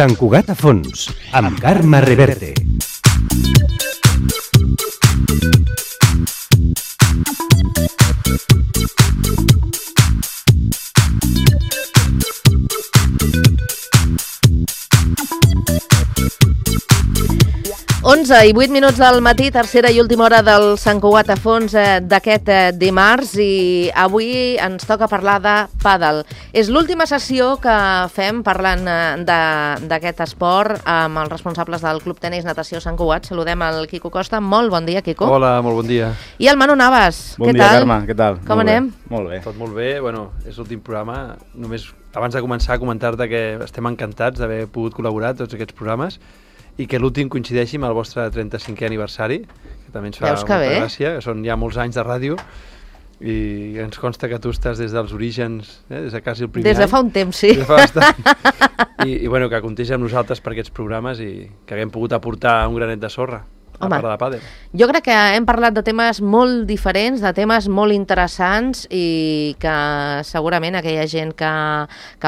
Sant Cugat a fons, amb Carme Reverte. Onze i 8 minuts del matí, tercera i última hora del Sant Cugat a fons d'aquest dimarts, i avui ens toca parlar de pàdel. És l'última sessió que fem parlant d'aquest esport amb els responsables del Club Tenis Natació Sant Cugat. Saludem el Quico Costa. Molt bon dia, Quico. Hola, molt bon dia. I el Manu Navas. Bon dia, Carme. Què tal? Com anem? Molt bé. Tot molt bé. Bueno, és l'últim programa. Només abans de començar a comentar-te que estem encantats d'haver pogut col·laborar a tots aquests programes i que l'últim coincideixi amb el vostre 35è aniversari, que també ens fa molta gràcia, que són ja molts anys de ràdio, i ens consta que tu estàs des dels orígens, des de quasi el primer any. Des de fa un temps, sí. Des de fa bastant. I bueno, que comptés amb nosaltres per aquests programes i que haguem pogut aportar un granet de sorra a parlar de pàdel. Jo crec que hem parlat de temes molt diferents, de temes molt interessants, i que segurament aquella gent que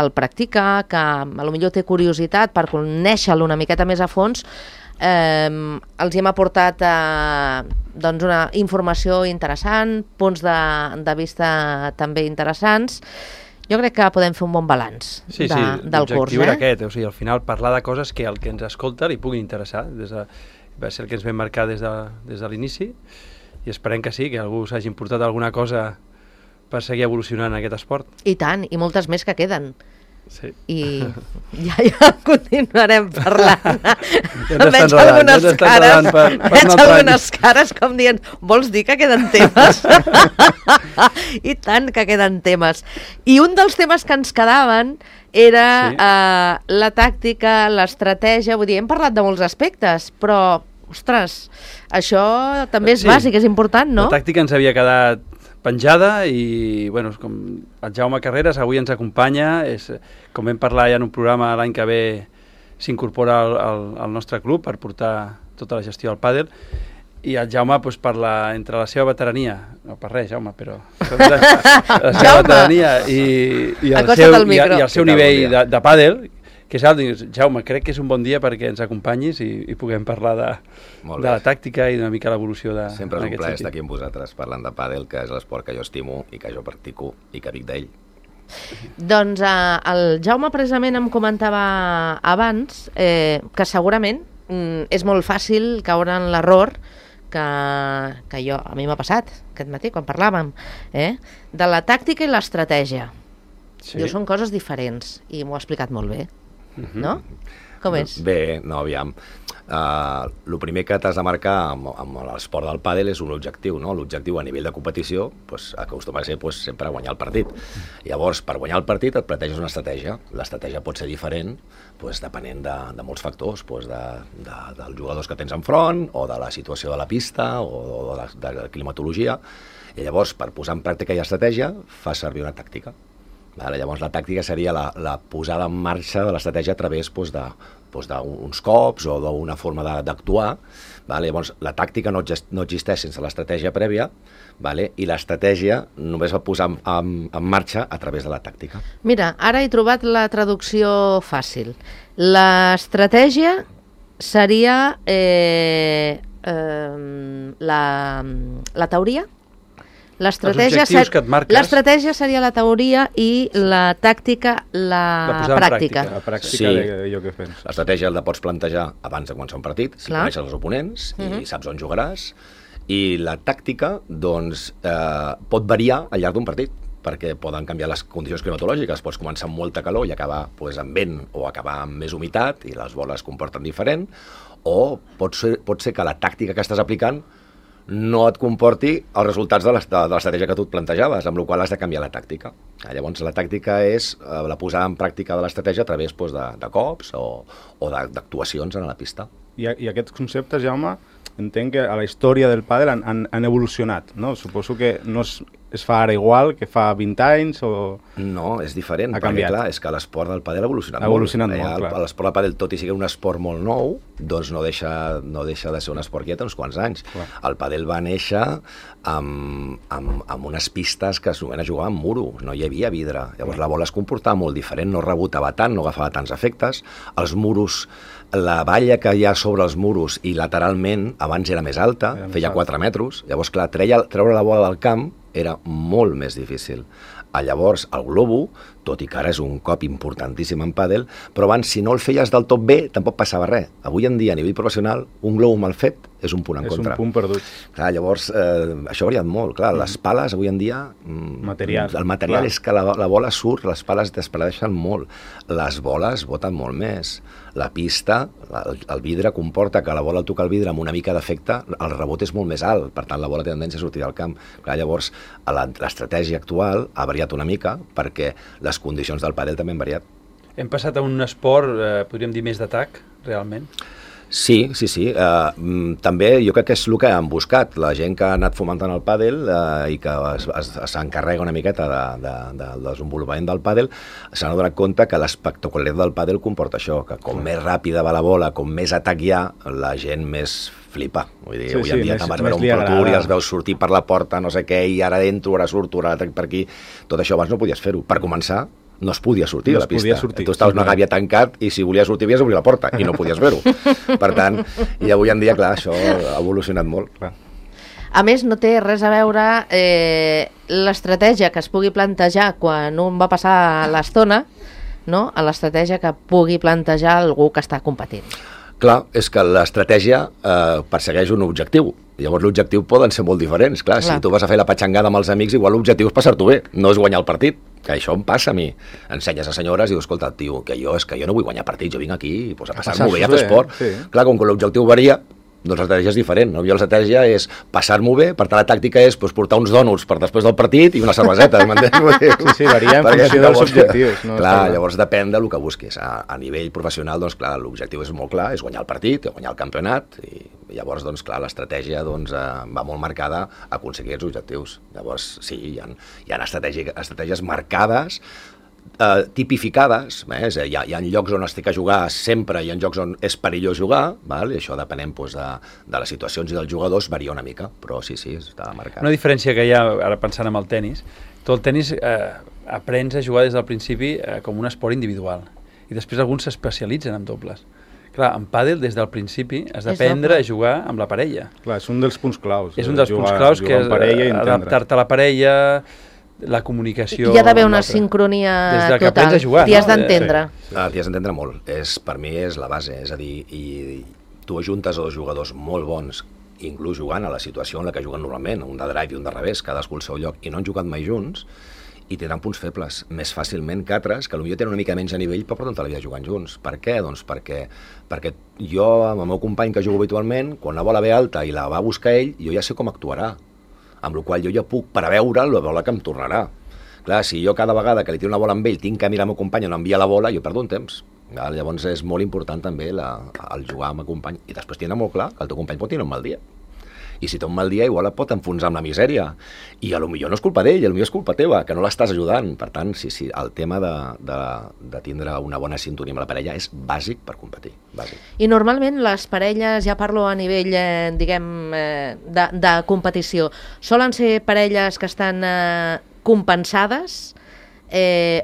el practica, que potser té curiositat per conèixer-lo una miqueta més a fons, els hem aportat una informació interessant, punts de vista també interessants. Jo crec que podem fer un bon balanç del curs. L'objectiu era aquest, o sigui, al final parlar de coses que al que ens escolta li puguin interessar. Va ser el que ens vam marcar des de l'inici, i esperem que sí, que algú s'hagi portat alguna cosa per seguir evolucionant aquest esport. I tant, i moltes més que queden. Sí. I ja continuarem parlant. Veig algunes cares com dient, vols dir que queden temes? I tant que queden temes. I un dels temes que ens quedaven era la tàctica, l'estratègia. Vull dir, hem parlat de molts aspectes, però, ostres, això també és bàsic, és important, no? La tàctica ens havia quedat penjada i, bueno, com el Jaume Carreras avui ens acompanya, com vam parlar ja en un programa l'any que ve, s'incorpora al nostre club per portar tota la gestió del pàdel, i el Jaume parla entre la seva veterania, no per res, Jaume, però la seva veterania i el seu nivell de pàdel, que és alt. Jaume, crec que és un bon dia perquè ens acompanyis i puguem parlar de la tàctica i d'una mica l'evolució de... Sempre és un plaer estar aquí amb vosaltres parlant de pàdel, que és l'esport que jo estimo i que jo practico i que vic d'ell. Doncs el Jaume precisament em comentava abans que segurament és molt fàcil caure en l'error que a mi m'ha passat aquest matí quan parlàvem, de la tàctica i l'estratègia. Són coses diferents i m'ho ha explicat molt bé, no? Com és? Bé, no, aviam. El primer que t'has de marcar amb l'esport del pàdel és un objectiu, no? L'objectiu a nivell de competició acostuma a ser sempre guanyar el partit. Llavors, per guanyar el partit et planteges una estratègia. L'estratègia pot ser diferent depenent de molts factors, dels jugadors que tens enfront, o de la situació de la pista, o de la climatologia. I llavors, per posar en pràctica l'estratègia, fas servir una tàctica. Llavors, la tàctica seria la posada en marxa de l'estratègia a través d'uns cops o d'una forma d'actuar. Llavors, la tàctica no existeix sense l'estratègia prèvia, i l'estratègia només va posar en marxa a través de la tàctica. Mira, ara he trobat la traducció fàcil. L'estratègia seria la teoria? L'estratègia seria la teoria i la tàctica la pràctica. La pràctica jo què penso. L'estratègia la pots plantejar abans de començar un partit, si coneixes els oponents i saps on jugaràs, i la tàctica pot variar al llarg d'un partit, perquè poden canviar les condicions climatològiques. Pots començar amb molta calor i acabar amb vent, o acabar amb més humitat i les boles es comporten diferent, o pot ser que la tàctica que estàs aplicant no et comporti els resultats de l'estratègia que tu et plantejaves, amb la qual has de canviar la tàctica. Llavors, la tàctica és la posada en pràctica de l'estratègia a través de cops o d'actuacions en la pista. I aquests conceptes, Jaume, entenc que a la història del pàdel han evolucionat, no? Suposo que no es fa ara igual que fa 20 anys o... No, és diferent, Ha perquè canviat. clar, és que l'esport del pàdel ha evolucionat Ha evolucionat molt, clar. L'esport del pàdel, tot i sigui un esport molt nou, doncs no deixa de ser un esport que ja té uns quants anys. Clar. El pàdel va néixer amb unes pistes que s'anomena jugar amb muro, no hi havia vidre. Llavors la bola es comportava molt diferent, no rebotava tant, no agafava tants efectes. Els muros, la valla que hi ha sobre els muros i lateralment abans era més alta, feia 4 metres. Llavors, clar, treure la bola del camp era molt més difícil. Llavors, el globo, tot i que ara és un cop importantíssim en pàdel, però abans, si no el feies del tot bé, tampoc passava res. Avui en dia, a nivell professional, un globo mal fet és un punt en contra. És un punt perdut. Clar, llavors, això ha variat molt. Clar, les pales, avui en dia... Material. El material Clar. és que la bola surt, les pales despedeixen molt. Les boles boten molt més. La pista, el vidre comporta que la bola al tocar el vidre amb una mica d'efecte, el rebot és molt més alt, per tant la bola té tendència a sortir del camp. Clar, llavors, l'estratègia actual ha variat una mica perquè les condicions del pàdel també han variat. Hem passat a un esport, podríem dir, més d'atac, realment. Sí. També jo crec que és el que han buscat. La gent que ha anat fomentant el pàdel i que s'encarrega una miqueta del desenvolupament del pàdel s'han donat compte que l'espectacularitat del pàdel comporta això, que com més ràpida va la bola, com més atac hi ha, la gent més flipa. Vull dir, avui en dia te'n vas veure un Pro Tour i els veus sortir per la porta, no sé què, i ara entro, ara surto, ara per aquí. Tot això abans no podies fer-ho. Per començar, no es podia sortir a la pista. Tu estaves una gàbia tancat i si volies sortir havies d'obrir la porta i no podies fer-ho. Per tant, i avui en dia, clar, això ha evolucionat molt. Clar. A més, no té res a veure l'estratègia que es pugui plantejar quan un va passar l'estona, no?, a l'estratègia que pugui plantejar algú que està competint. Clar, és que l'estratègia persegueix un objectiu. Llavors l'objectiu poden ser molt diferents. Clar, si tu vas a fer la patxangada amb els amics, igual l'objectiu és passar-t'ho bé, no és guanyar el partit. Que això em passa a mi. Ensenyes a senyores i dius, escolta, tio, que jo no vull guanyar partits, jo vinc aquí pues, a passar-m'ho bé, a fer esport. Sí. Clar, com que l'objectiu varia, doncs l'estratègia és diferent. No? Jo l'estratègia és passar-m'ho bé, per tant la tàctica és pues, portar uns dònuts per després del partit i una cerveseta, m'entens? Sí, varia en funció dels objectius. No? Clar, llavors depèn del que busquis. A nivell professional, doncs clar, l'objectiu és molt clar, és guanyar el partit, guanyar el campionat, i llavors, doncs clar, l'estratègia doncs, va molt marcada a aconseguir els objectius. Llavors, sí, hi ha estratègies marcades, tipificades, hi ha llocs on es té que jugar sempre, hi ha llocs on és perillós jugar, val? I això depenent doncs, de les situacions i dels jugadors varia una mica, però sí, està marcat. Una diferència que hi ha, ara pensant en el tennis, tu el tennis aprens a jugar des del principi com un esport individual i després alguns s'especialitzen en dobles. Clar, en pàdel des del principi has d'aprendre a jugar amb la parella. Clar, és un dels punts claus. És un dels punts claus que és adaptar-te a la parella, la comunicació... Hi ha d'haver una sincronia total. T'hi has d'entendre. T'hi has d'entendre molt. Per mi és la base. És a dir, i tu ajuntes a dos jugadors molt bons, inclús jugant a la situació en la que juguen normalment, un de drive i un de revés, cadascú al seu lloc, i no han jugat mai junts, i tindran punts febles més fàcilment que altres, que potser tenen una mica menys a nivell, però porten tota la vida jugant junts. Per què? Doncs perquè jo, amb el meu company que jugo habitualment, quan la bola ve alta i la va buscar ell, jo ja sé com actuarà. Amb la qual jo ja puc preveure la bola que em tornarà. Clar, si jo cada vegada que li tiro una bola amb ell tinc que mirar el meu company on envia la bola, jo perdo un temps. Llavors és molt important també el jugar amb el company. I després tindre molt clar que el teu company pot tenir un mal dia. I si té un mal dia igual et pot enfonsar amb la misèria. I potser no és culpa d'ell, potser és culpa teva, que no l'estàs ajudant. Per tant, sí, el tema de tindre una bona sintonia amb la parella és bàsic per competir. Bàsic. I normalment les parelles, ja parlo a nivell, diguem, de competició, solen ser parelles que estan compensades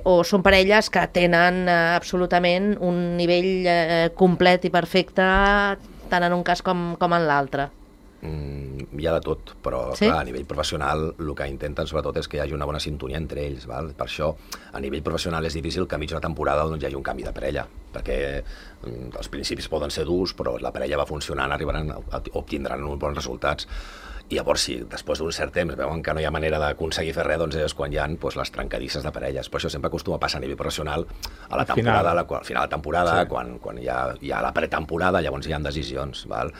o són parelles que tenen absolutament un nivell complet i perfecte tant en un cas com en l'altre? Hi ha de tot, però sí? Clar, a nivell professional el que intenten sobretot és que hi hagi una bona sintonia entre ells, val? Per això a nivell professional és difícil que a mitja temporada doncs, hi hagi un canvi de parella, perquè els principis poden ser durs, però la parella va funcionant, obtindran uns bons resultats. I llavors, si després d'un cert temps veuen que no hi ha manera d'aconseguir fer res, doncs és quan hi ha les trencadisses de parelles. Per això sempre acostuma a passar a nivell professional a la temporada, al final de la temporada, sí. quan hi ha la pretemporada, llavors hi ha decisions. Val?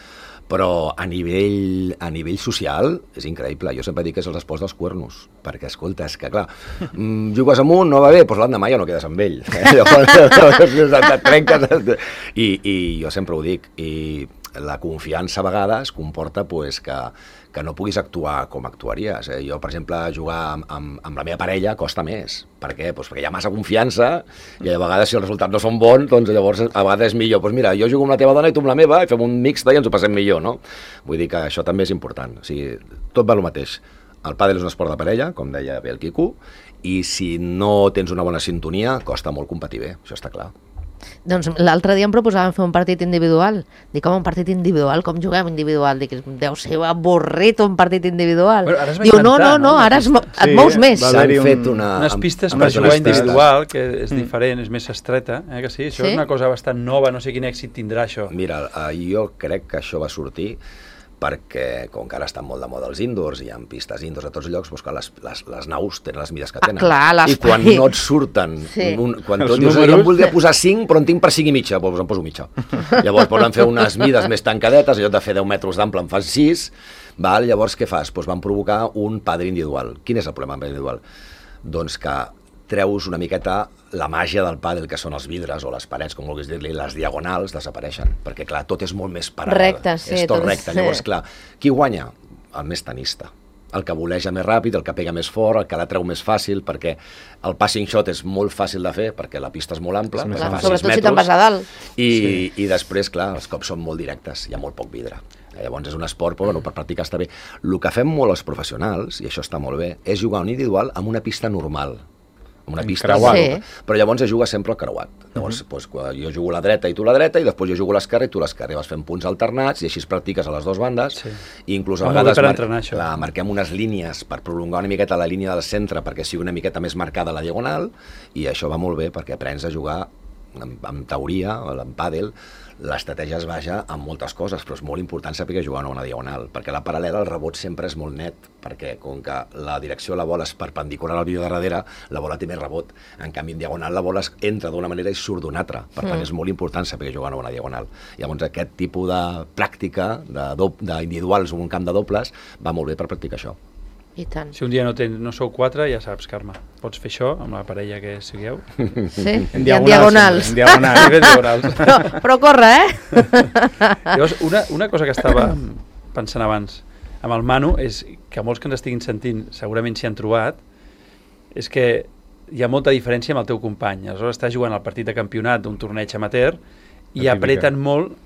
Però a nivell social és increïble. Jo sempre dic que és els esports dels cuernos, perquè, escolta, és que, clar, jugues amb un, no va bé, doncs l'endemà ja no quedes amb ell. Llavors, et trenques. I jo sempre ho dic. I la confiança a vegades comporta pues, que no puguis actuar com actuaries. Jo, per exemple, jugar amb la meva parella costa més. Per què? Pues perquè hi ha massa confiança i a vegades si els resultats no són bons, doncs llavors a vegades és millor. Pues mira, jo jugo amb la teva dona i tu amb la meva i fem un mixta i ens ho passem millor, no? Vull dir que això també és important. O sigui, tot va el mateix. El pàdel és un esport de parella, com deia bé el Quico, i si no tens una bona sintonia, costa molt competir bé, això està clar. Doncs l'altre dia em proposaven fer un partit individual. Dic, com un partit individual? Com juguem individual? Dic, deu ser avorrit un partit individual. Bueno, ara es va Diu, inventar, no, ara et mous més. S'han fet unes pistes per jugar individual, que és diferent, és més estreta, que sí? Això és una cosa bastant nova, no sé quin èxit tindrà això. Mira, jo crec que això va sortir perquè, com que ara estan molt de moda els indoors, hi ha pistes indoors a tots llocs, doncs que les naus tenen les mides que tenen. Clar, i quan no et surten, quan tu dius, jo em voldria posar 5, però en tinc per 5 i mitja, doncs em poso mitja. Llavors poden fer unes mides més tancadetes, en lloc de fer 10 metres d'ample en fas 6, llavors què fas? Doncs van provocar un pàdel individual. Quin és el problema amb individual? Doncs que treus una miqueta la màgia del pàdel, que són els vidres o les parets, com vulguis dir-li, les diagonals desapareixen, perquè clar, tot és molt més paral·lel. Recte, sí. És tot recte. Llavors, clar, qui guanya? El més tenista. El que voleja més ràpid, el que pega més fort, el que la treu més fàcil, perquè el passing shot és molt fàcil de fer, perquè la pista és molt ampla, sobretot si te'n vas a dalt. I després, clar, els cops són molt directes, hi ha molt poc vidre. Llavors és un esport, però per practicar està bé. El que fem molt els professionals, i això està molt bé, és jugar un individual amb una pista normal, amb una pista creuat, però llavors es juga sempre al creuat. Llavors jo jugo a la dreta i tu a la dreta, i després jo jugo a l'esquerra i tu a l'esquerra, i vas fent punts alternats, i així es practiques a les dues bandes, i inclús a vegades marquem unes línies per prolongar una miqueta la línia del centre perquè sigui una miqueta més marcada la diagonal, i això va molt bé perquè aprens a jugar en teoria, en pàdel, l'estratègia es basa en moltes coses, però és molt important saber jugar una diagonal, perquè la paral·lela, el rebot sempre és molt net, perquè com que la direcció de la bola és perpendicular al vídeo de darrere, la bola té més rebot. En canvi, en diagonal, la bola entra d'una manera i surt d'una altra. Per tant, és molt important saber jugar una diagonal. Llavors, aquest tipus de pràctica d'individuals en un camp de dobles va molt bé per practicar això. I tant. Si un dia no sou 4, ja saps, Carme, pots fer això amb la parella que sigueu. Sí, en diagonals. Però corre, Llavors, una cosa que estava pensant abans amb el Manu és que molts que ens estiguin sentint segurament s'hi han trobat, és que hi ha molta diferència amb el teu company. Aleshores estàs jugant al partit de campionat d'un torneig amateur i apreten molt,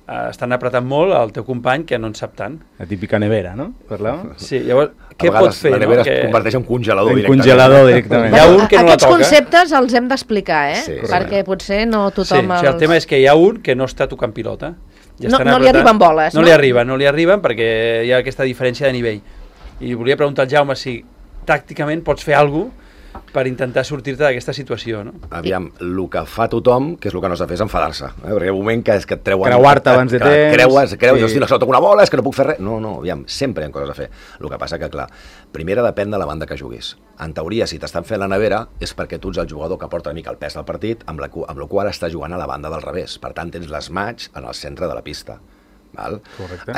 estan apretant molt el teu company que no en sap tant. La típica nevera, no? Parlàvem? Sí, llavors, què pot fer? La nevera es converteix en congelador directament. Hi ha un que no la Aquests toca. Aquests conceptes els hem d'explicar, perquè potser no tothom els... El tema és que hi ha un que no està tocant pilota. No li arriben boles, no? No li arriben perquè hi ha aquesta diferència de nivell. I volia preguntar al Jaume si tàcticament pots fer alguna cosa per intentar sortir-te d'aquesta situació, no? Aviam, el que fa tothom, que és el que no s'ha de fer, és enfadar-se. Perquè hi ha un moment que et treuen... Creuar-te abans de temps... Creues, i hosti, no toco una bola, és que no puc fer res. No, aviam, sempre hi ha coses a fer. El que passa que, clar, primera depèn de la banda que juguis. En teoria, si t'estan fent la nevera, és perquè tu ets el jugador que porta una mica el pes del partit, amb la qual està jugant a la banda del revés. Per tant, tens les mats en el centre de la pista. Val?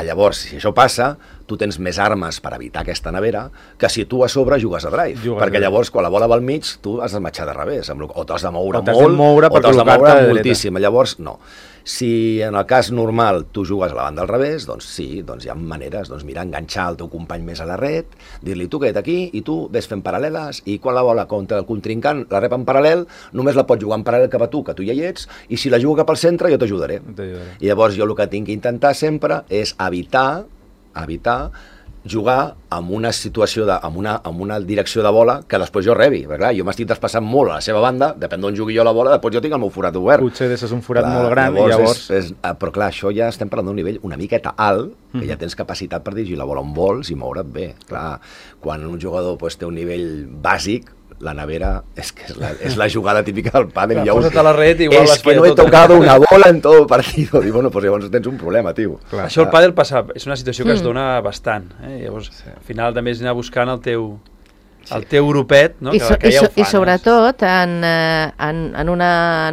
Llavors, si això passa, tu tens més armes per evitar aquesta nevera que si tu a sobre jugues a drive, perquè llavors quan la bola va al mig tu has de matxar de revés, o t'has de moure molt o t'has de moure moltíssim. Llavors no. Si en el cas normal tu jugues a la banda al revés, doncs sí, doncs hi ha maneres, doncs mira, enganxar el teu company més a la red, dir-li tu queda't aquí i tu ves fent paral·leles, i quan la bola contra el contrincant la rep en paral·lel, només la pots jugar en paral·lel cap a tu, que tu ja hi ets, i si la jugo cap al centre jo t'ajudaré. I llavors jo el que tinc que intentar sempre és evitar jugar amb una situació, amb una direcció de bola que després jo rebi, perquè clar, jo m'estic desplaçant molt a la seva banda, depèn d'on jugui jo la bola, després jo tinc el meu forat obert. Potser deixes un forat molt gran i llavors... Però clar, això ja estem parlant d'un nivell una miqueta alt, que ja tens capacitat per dirigir la bola on vols i moure't bé. Clar, quan un jugador té un nivell bàsic, la nevera és que és la jugada típica del pàdel. Posa't a la red i igual és que no he tocado una bola en tot el partit. Dic, bueno, pues llavors tens un problema, tio. Clar, això el pàdel passa, és una situació que es dona bastant. Llavors, al final també és anar buscant el teu grupet, no? Que ja ho fan. I sobretot en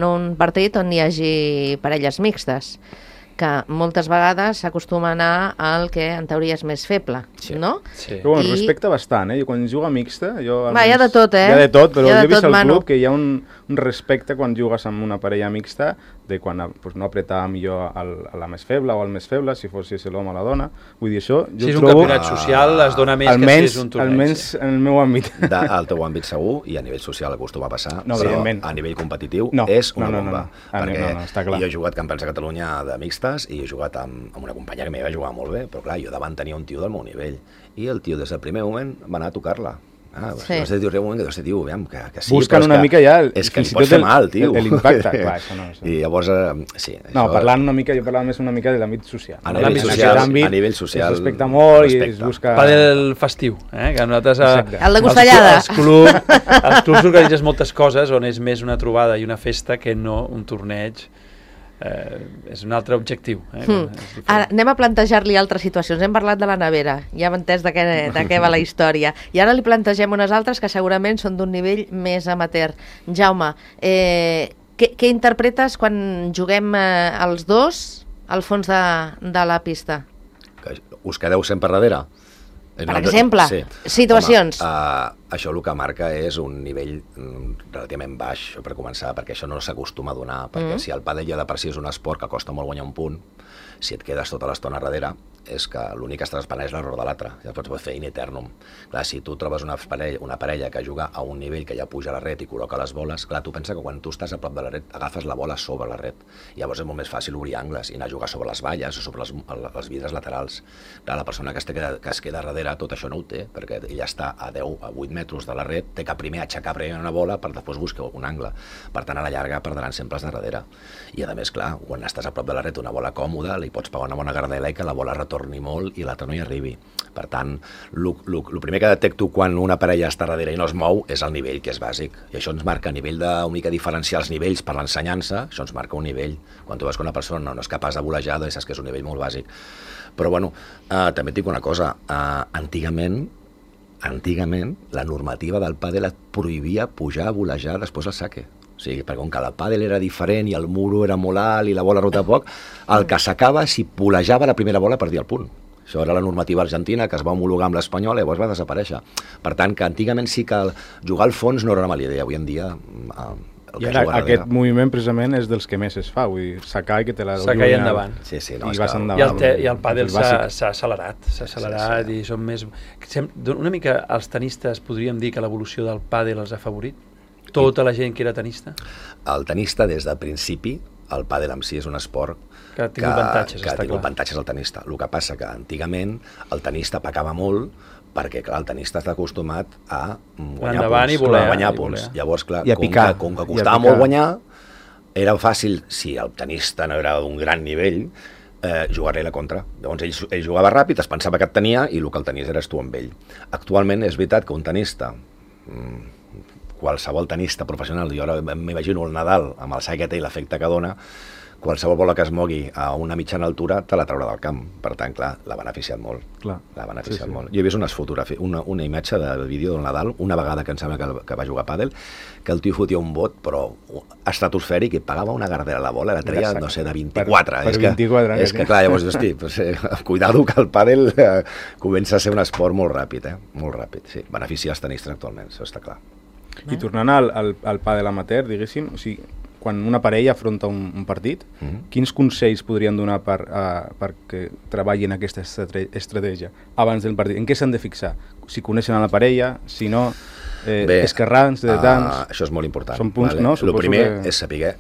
un partit on hi hagi parelles mixtes, que moltes vegades s'acostuma a anar al que en teoria és més feble, no? Sí. Però bueno, respecta bastant, Jo quan jugo mixta... Hi ha de tot, Hi ha de tot, però jo he vist al club que hi ha un respecte quan jugues amb una parella mixta de quan pues, no apretar millor a la més feble o al més feble, si fos l'home o la dona. Vull dir, això jo si és un trobo... campionat social, es dona més que si és un torneig. Almenys en el meu àmbit. Al teu àmbit segur, i a nivell social acostuma a passar, no, però a nivell competitiu és una bomba. Perquè està clar. jo he jugat campionats de Catalunya de mixtes i he jugat amb una companya que m'hi va jugar molt bé, però clar, jo davant tenia un tio del meu nivell, i el tio des del primer moment va anar a tocar-la. Sí. No sé, un moment que tio, aviam, que sí, busquen una mica ja és que li pots fer mal, tio. L'impacte, clar, això no. I llavors, sí. No, parlant una mica, jo parlava més una mica de l'àmbit social. A nivell social es respecta molt i es busca... Pàdel festiu, que nosaltres... El de Costellada. Els clubs organitzes moltes coses on és més una trobada i una festa que no un torneig. És un altre objectiu. Ara, anem a plantejar-li altres situacions. Hem parlat de la nevera, ja hem entès de què va la història. I ara li plantegem unes altres que segurament són d'un nivell més amateur. Jaume, què interpretes quan juguem els dos al fons de la pista? Que us quedeu sempre darrere? Per exemple, situacions. Home, això el que marca és un nivell relativament baix, per començar, perquè això no s'acostuma a donar, perquè si el pàdel ja de per si és un esport que costa molt guanyar un punt, si et quedes tota l'estona darrere, és que l'únic que estàs esperant és l'error de l'altre, ja pots fer in eternum. Clar, si tu trobes una parella que juga a un nivell que ja puja a la ret i col·loca les boles, clar, tu pensa que quan tu estàs a prop de la ret agafes la bola sobre la ret, i llavors és molt més fàcil obrir angles i anar a jugar sobre les valles o sobre els vidres laterals. Clar, la persona que es queda darrere tot això no ho té, perquè ella està a 10 a 8 metres de la ret, té que primer aixecar una bola per després buscar un angle. Per tant, a la llarga perdran sempre els de darrere. I a més, clar, quan estàs a prop de la ret una bola còmoda, li pots pagar una bona gardela i que la bola retorni molt i l'altre no hi arribi. Per tant, el primer que detecto quan una parella està darrere i no es mou és el nivell, que és bàsic. I això ens marca a nivell d'una mica diferenciar els nivells per l'ensenyança, això ens marca un nivell. Quan tu veus que una persona no és capaç de volejar, doncs saps que és un nivell molt bàsic. Però bueno, també et dic una cosa, antigament la normativa del pàdel et prohibia pujar a volejar després del saque. O sigui, perquè com que el pàdel era diferent i el muro era molt alt i la bola rota poc, el que sacava, si volejava la primera bola, perdia el punt. Això era la normativa argentina que es va homologar amb l'espanyola i llavors va desaparèixer. Per tant, que antigament sí que jugar al fons no era una mala idea. Avui en dia... I ara aquest moviment precisament és dels que més es fa, vull dir, sacar i que te la... Sacar i endavant. Sí, no, i vas endavant. I el pàdel s'ha accelerat i són més... Una mica els tenistes podríem dir que l'evolució del pàdel els ha afavorit? Tota la gent que era tenista? El tenista, des del principi, el pàdel en si és un esport que ha tingut avantatges al tenista. El que passa que antigament el tenista pecava molt perquè, clar, el tenista està acostumat a guanyar punts. Llavors, clar, com que costava molt guanyar, era fàcil, si el tenista no era d'un gran nivell, jugar-li a la contra. Llavors ell jugava ràpid, es pensava que et tenia i el que el tenies eres tu amb ell. Actualment és veritat que un tenista, qualsevol tenista professional, jo ara m'imagino el Nadal amb el sac que té i l'efecte que dona, qualsevol bola que es mogui a una mitjana altura te la traurà del camp. Per tant, clar, l'ha beneficiat molt. L'ha beneficiat molt. Jo he vist unes fotografies, una imatge de vídeo del Nadal, una vegada que em sembla que va jugar a pàdel, que el tio fotia un bot, però estratosfèric, i pagava una gardera a la bola, la treia, no sé, de 24. Per 24. És que, clar, llavors, hosti, cuidado que el pàdel comença a ser un esport molt ràpid, molt ràpid, sí. Beneficia els tenistes actualment, això està clar. I tornant al pàdel amateur, diguéssim, o sigui, quan una parella afronta un partit, quins consells podrien donar perquè treballin aquesta estratègia abans del partit? En què s'han de fixar? Si coneixen a la parella, si no, esquerrans, dretans... Això és molt important. Són punts, no? El primer és saber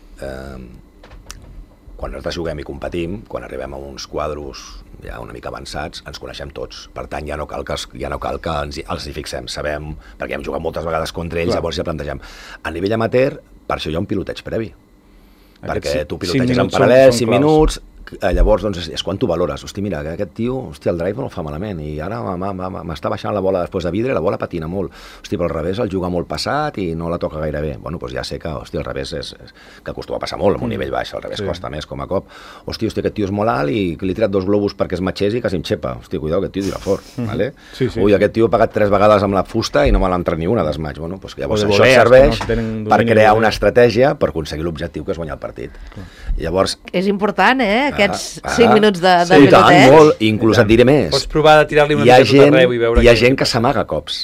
quan nosaltres juguem i competim, quan arribem a uns quadros ja una mica avançats, ens coneixem tots. Per tant, ja no cal que els hi fixem. Sabem, perquè hem jugat moltes vegades contra ells, llavors ja plantegem. A nivell amateur, per això hi ha un piloteig previ. Perquè tu piloteges en paral·lel, 5 minuts, llavors doncs, és quan tu valores. Hosti, mira, aquest tio, el drive no el fa malament, i ara m'està baixant la bola després de vidre, la bola patina molt. Hosti, però al revés el juga molt passat i no la toca gaire bé. Bueno, doncs ja sé que, hosti, al revés és que acostuma a passar molt amb un nivell baix, al revés costa més com a cop. Hosti, aquest tio és molt alt i li he tirat 2 globus perquè es matxés i quasi em xepa. Hosti, cuidao, aquest tio tira fort, vale? Ui, aquest tio ha pagat 3 vegades amb la fusta i no me l'ha entrat ni una desmaig. Bueno, doncs llavors això serveix per crear una estratègia per aconseguir l'objectiu que és guanyar el partit. Llavors... És important, aquests 5 minuts de piloteig. Sí, molt, inclús et diré més. Pots provar de tirar-li una mica tot arreu i veure... Hi ha gent que s'amaga cops.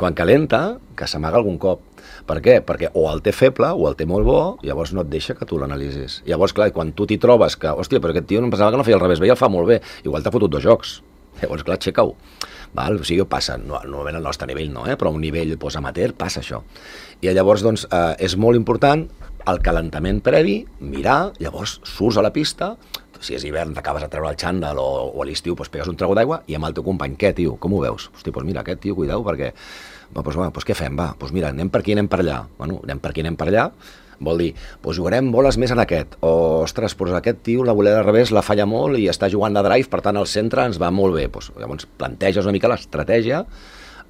Quan calenta, que s'amaga algun cop. Per què? Perquè o el té feble o el té molt bo, llavors no et deixa que tu l'analitzis. Llavors, clar, quan tu t'hi trobes que, hòstia, però aquest tio no em pensava que no feia al revés, veia el fa molt bé, igual t'ha fotut 2 jocs. Llavors, clar, aixeca-ho. O sigui, passa, normalment al nostre nivell no, però a un nivell amateur passa això. I llavors, doncs, és molt important el calentament previ, mirar, llavors surts a la pista, si és hivern t'acabes a treure el xandall o a l'estiu pegues un trago d'aigua i amb el teu company, què, tio, com ho veus? Hosti, doncs mira, aquest tio, cuidao, perquè... Doncs què fem, va? Doncs mira, anem per aquí, anem per allà. Bueno, anem per aquí, anem per allà, vol dir, doncs jugarem boles més en aquest. O, ostres, doncs aquest tio la volea al revés la falla molt i està jugant de drive, per tant el centre ens va molt bé. Llavors planteges una mica l'estratègia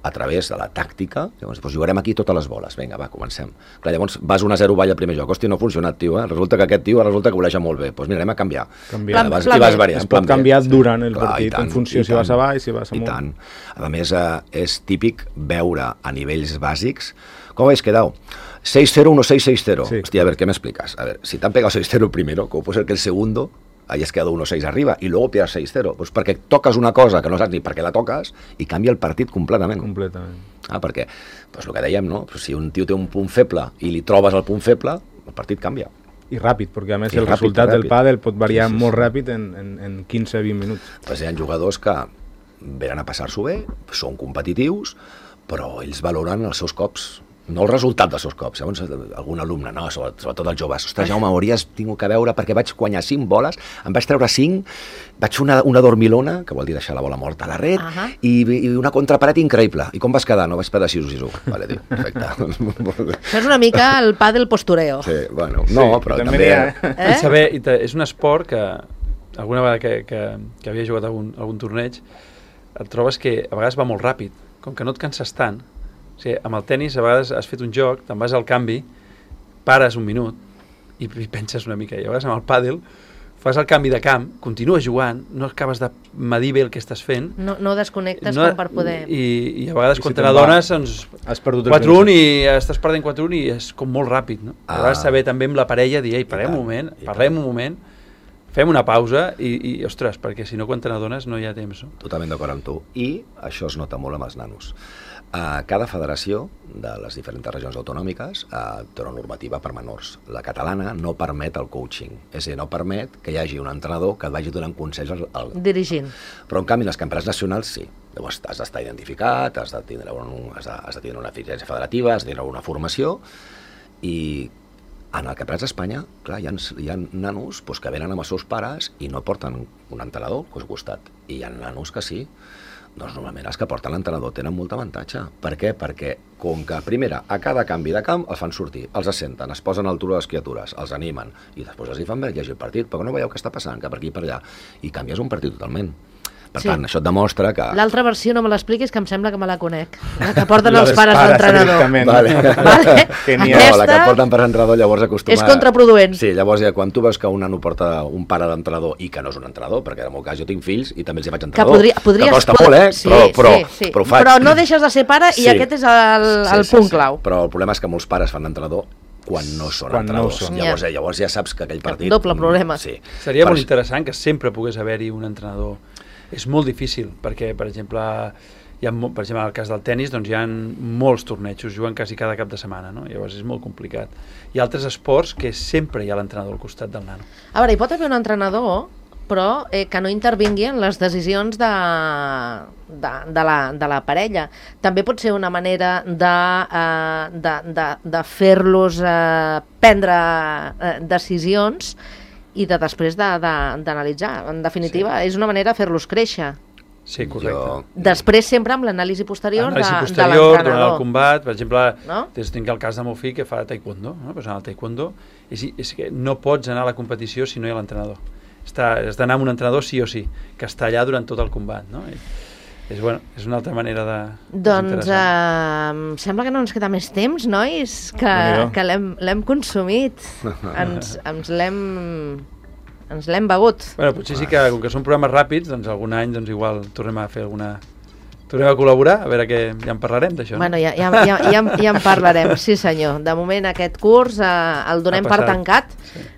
a través de la tàctica, llavors jugarem aquí totes les boles, vinga, va, comencem. Clar, llavors vas 1-0 ball al primer joc, hòstia, no ha funcionat, tio, resulta que aquest tio resulta que voleja molt bé, doncs mira, anem a canviar. I vas variant. Es pot canviar durant el partit, en funció si vas a baix, si vas amunt. I tant. A més, és típic veure a nivells bàsics, com habéis quedado? 6-0, 1-6, 6-0. Sí. Hòstia, a ver, ¿qué me explicas? A ver, si te han pegado 6-0 el primero, ¿cómo puede ser que el segundo hayas quedado 1-6 arriba y luego pierdas 6-0? Pues perquè toques una cosa que no saps ni per què la toques i canvia el partit completament. Perquè, pues el que dèiem, no? Pues si un tio té un punt feble i li trobes el punt feble, el partit canvia. I ràpid, perquè a més el resultat del pàdel pot variar molt ràpid en 15-20 minuts. Pues hi ha jugadors que venen a passar-s'ho bé, són competitius, però ells valoren els seus cops, no el resultat dels seus cops. Llavors, algun alumne, no, sobretot els joves, ostres, Jaume, hauries tingut que veure perquè vaig guanyar 5 boles, em vaig treure 5, vaig fer una dormilona, que vol dir deixar la bola morta a la red, i una contraparet increïble. I com vas quedar? No, vaig perdre 6-1. Vale, tio, perfecte. Això és una mica el pàdel postureo. Sí, bueno, no, però també... Saber, és un esport que alguna vegada que havia jugat algun torneig, et trobes que a vegades va molt ràpid, com que no et canses tant. O sigui, amb el tennis a vegades has fet un joc, te'n vas al canvi, pares un minut i penses una mica. I a vegades amb el pàdel fas el canvi de camp, continues jugant, no acabes de medir bé el que estàs fent. No desconnectes com per poder... I a vegades quan te n'adones, doncs, 4-1 i estàs perdent 4-1 i és com molt ràpid, no? A vegades saber també amb la parella dir, ei, parlem un moment, fem una pausa i ostres, perquè si no quan te n'adones no hi ha temps. No? Totalment d'acord amb tu. I això es nota molt amb els nanos. Cada federació de les diferents regions autonòmiques té una normativa per menors. La catalana no permet el coaching, és a dir, no permet que hi hagi un entrenador que et vagi donant consells dirigint. Però en canvi, les campionats nacionals sí. Llavors has d'estar identificat, has de tindre una eficiència federativa, has de tindre una formació i en el campionat d'Espanya, clar, hi ha nanos que venen amb els seus pares i no porten un entrenador al costat. I hi ha nanos que sí. Doncs normalment els que porten l'entrenador tenen molt avantatge. Per què? Perquè, com que, primera, a cada canvi de camp els fan sortir, els assenten, es posen a l'altura de les criatures, els animen, i després els hi fan veure llegir el partit, però no veieu què està passant, que per aquí i per allà, i canvies un partit totalment. Per tant, això et demostra que... L'altra versió no me l'expliquis, que em sembla que me la conec. La que porten els pares d'entrenador. Vale. No, la que porten per entrenador llavors acostuma... És contraproduent. Sí, llavors quan tu veus que un nano porta un pare d'entrenador i que no és un entrenador, perquè en el meu cas jo tinc fills i també els hi faig entrenador, que costa molt, però ho faig. Però no deixes de ser pare i aquest és el punt clau. Però el problema és que molts pares fan d'entrenador quan no són entrenadors. Llavors ja saps que aquell partit... Doble problema. Seria molt interessant que sempre pogués haver-hi un entrenador. És molt difícil, perquè, per exemple, en el cas del tennis, doncs hi ha molts tornejos, juguen quasi cada cap de setmana, no? Llavors és molt complicat. Hi ha altres esports que sempre hi ha l'entrenador al costat del nano. A veure, hi pot haver un entrenador, però que no intervingui en les decisions de la parella. També pot ser una manera de fer-los prendre decisions i després d'analitzar. En definitiva, és una manera de fer-los créixer. Sí, correcte. Després sempre amb l'anàlisi posterior de l'entrenador. Durant el combat, per exemple, no? Tinc el cas de meu fill que fa taekwondo, no? Pues en el taekwondo és que no pots anar a la competició si no hi ha l'entrenador. Has d'anar amb un entrenador sí o sí, que està allà durant tot el combat, no? És una altra manera de... Doncs sembla que no ens queda més temps, nois, que l'hem consumit. Ens l'hem begut. Bueno, potser sí que, com que són programes ràpids, doncs algun any igual tornem a fer alguna... Tornem a col·laborar, a veure que ja en parlarem d'això. Bueno, ja en parlarem, sí senyor. De moment aquest curs el donem per tancat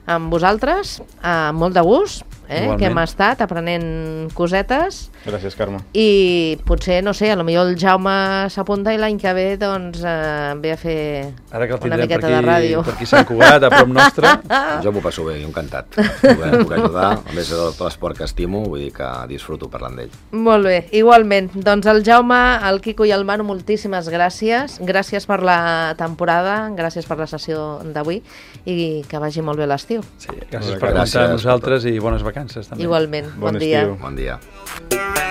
amb vosaltres, amb molt de gust. Igualment. que hem estat aprenent cosetes. Gràcies, Carme. I potser, no sé, potser el Jaume s'apunta i l'any que ve doncs ve a fer Ara que el una tindrem miqueta de ràdio. per aquí Sant Cugat, a prop nostre. Jo m'ho passo bé, jo encantat. Puc ajudar, a més de tot l'esport que estimo, vull dir que disfruto parlant d'ell. Molt bé, igualment. Doncs el Jaume, el Quico i el Manu, moltíssimes gràcies. Gràcies per la temporada, gràcies per la sessió d'avui i que vagi molt bé l'estiu. Sí, gràcies per comptar amb nosaltres i bones vacances també. Igualment, bon Bon dia. estiu. Bon dia.